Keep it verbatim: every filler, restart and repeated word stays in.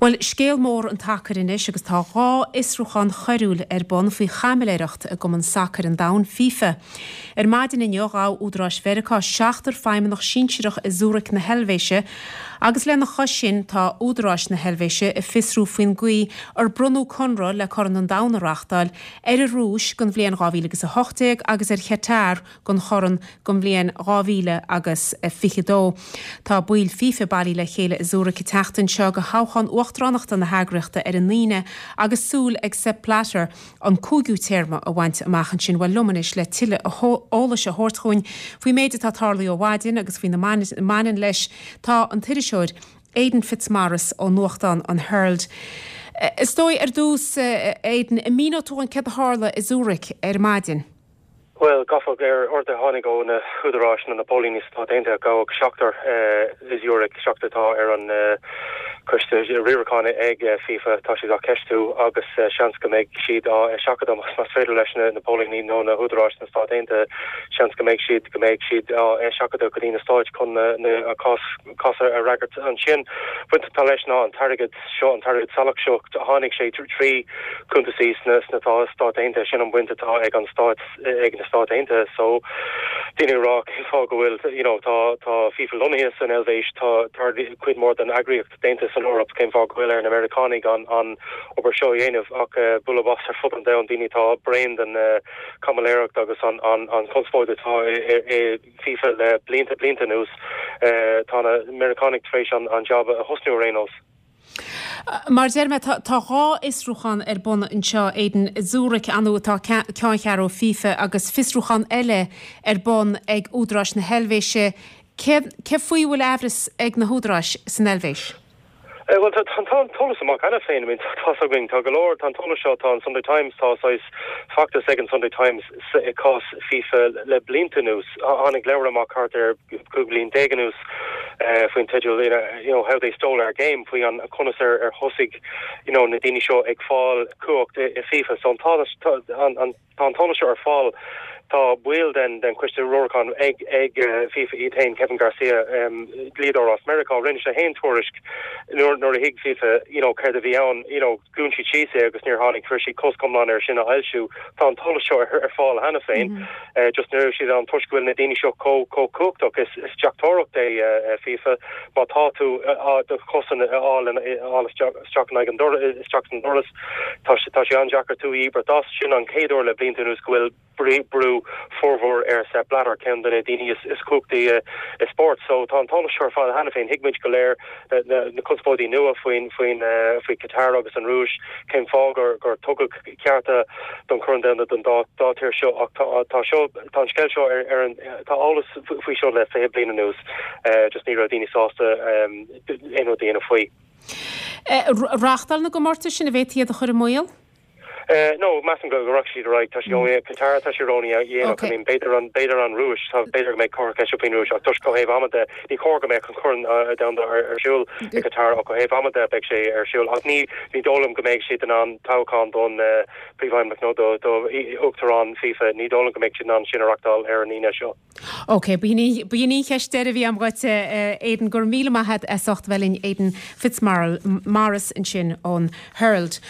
Bhuel, scéal mór an tsacair anois agus tá dhá fhiosrúchán choiriúil ar bun faoi chaimiléireacht i gCumann Sacair an Domhain, FIFA. Ar maidin inniu ghabh údaráis Mheiriceá seachtar feidhmeannach sinsearach i Zurich na hEilvéise agus lena chois sin tá údaráis na hEilvéise ag fiosrú faoin gcaoi ar bronnadh conradh le Corn an Domhain a reáchtáil ar an Rúis don bhliain dhá mhíle agus a hocht déag agus ar Chatar don Chorn don bhliain dhá mhíle agus fiche dó. Tá baill FIFA bailithe le chéile i Zurich an tseachtain seo do thoghchán uachtaránachta na heagraíochta ar an Aoine agus súil ag Sepp Blatter an cúigiú téarma a bhaint amach ansin. Bhuel, liom anois le tuilleadh eolais a thabhairt chugainn faoin méid atá tarlaithe ó mhaidin agus faoina mbaineann leis tá an t-iriseoir Aidan Fitzmaurice ó nuachtán an Herald. Is dóigh ar dtús, Aidan, an míneoidh tú dúinn céard a tharla i Zurich ar maidin? Bhuel, gabhadh ar ordú a tháinig ó na húdaráis nó na póilíní sna Stáit Aontaithe, gabhadh seachtar i Zurich, seachtar atá ar an coiste riaracháin ag FIFA, tá siad á ceistiú agus seans go mbeidh siad á seachadadh más féidir leis na póilíní nó na húdaráis sna Stáit Aontaithe, seans go mbeidh siad go mbeidh siad á seachadadh go dtí na Stáit chun na cás cás a fhreagairt ansin. Baint atá leis ná an t-airgead seo, an t-airgead salach seo, tháinig sé trí cuntasaí sna sna Stáit Aontaithe, sin an bhaint atá ag an Stát ag na Stáit Aontaithe. So daoine ag rá cén fáth go bhfuil you know tá tá FIFA lonnaithe san Eilvéis, tá tá cuid mhór den eagraíocht déanta san Eoraip, cén fáth go bhfuil ar na Meiriceánaigh an an obair seo a dhéanamh ach bualadh bos ar fud an domhain, daoine atá bréan den chaimiléireacht agus an an an chonspóid atá i i FIFA le blianta blianta anuas, tá na Meiriceánaigh tar éis an an job a thosnú ar aon nós. Mar a deir mé, tá dhá fhiosrúchán ar bun anseo, Aidan, i Zurich ar ndóigh atá ceanncheathrú FIFA agus fiosrúchán eile ar bun ag údaráis na hEilvéise. Cé cé faoi a bhfuil aimhreas ag na húdaráis san Eilvéis? Bhuel, tá tá an t-eolas amach cheana féin. I mean, tá's againn, tá go leor, tá an t-eolas seo, tá an Sunday Times, tá saghas feachtas ag an Sunday Times i cás FIFA le blianta anuas. Tháinig leabhar amach thart ar cúig bliain déag anuas faoin teideal you know, How They Stole Our Game, faoi an conas ar ar thosaigh you know, na daoine seo ag fáil cumhacht i, i FIFA. So an tá an, an, tá an t-eolas seo ar fáil. Tá baill den den choiste riaracháin ag ag FIFA iad féin, Kevin Garcia, um, dlíodóir as Meiriceá, rinne sé féin tuairisc nuair nuair a thuig FIFA you know, céard a bhí ann, you know, dhún siad síos é agus níor tháinig chuir siad cosc iomlán air sin a fhoilsiú. Tá an t-eolas seo ar, ar fáil cheana féin. Mm -hmm. uh, just ní raibh siad an toisc go bhfuil na daoine seo chomh chomh cumhachtach is is deachtóireacht é uh, FIFA má tá tú uh, do chosan a fháil fháil isteach in an isteach san doras tá sé tá sé an-deacair tú íobairt as sin an chéad uair le blianta anuas go bhfuil brú formhór ar Sepp Blatter ceann de na daoine is is cumhachtaí i spórt so tá an t-eolas seo ar fáil cheana féin thuig muid go léir na na conspóidí nua faoin faoin faoi Qatar agus an Rúis cén fáth gur gur tugadh cearta don Chorn Domhanda don dá dá tír seo ach tá tá seo tá an scéal seo ar ar an tá eolas faoi seo le fiche bliain anuas just ní raibh daoine sásta aon rud a dhéanamh faoi. Reáchtáil na gcomórtas sin an bhféadfaí iad a chur i mbaol? No, measaim go rachaidh siad ar aghaidh tá sé Qatar tá sé ródhéanach I mean b'fhéidir an b'fhéidir an Rúis tá b'fhéidir go mbeidh cor ceiste faoin Rúis ach toisc ó thaobh ama de ní chóir go mbeadh an Corn Domhanda ar ar siúl i Qatar ach ó thaobh ama de beidh sé ar siúl ach ní ní dóigh liom go mbeidh siad in ann toghchán don príomhfheidhmeannach nó do do uachtarán FIFA ní dóigh liom go mbeidh siad in ann sin a reáchtáil ar an Aoine seo. Ok, b'in í an cheist deiridh a bhí agam dhuit Aidan go raibh míle maith agat as ucht bheith linn Aidan Fitzmaurice ansin ón Herald.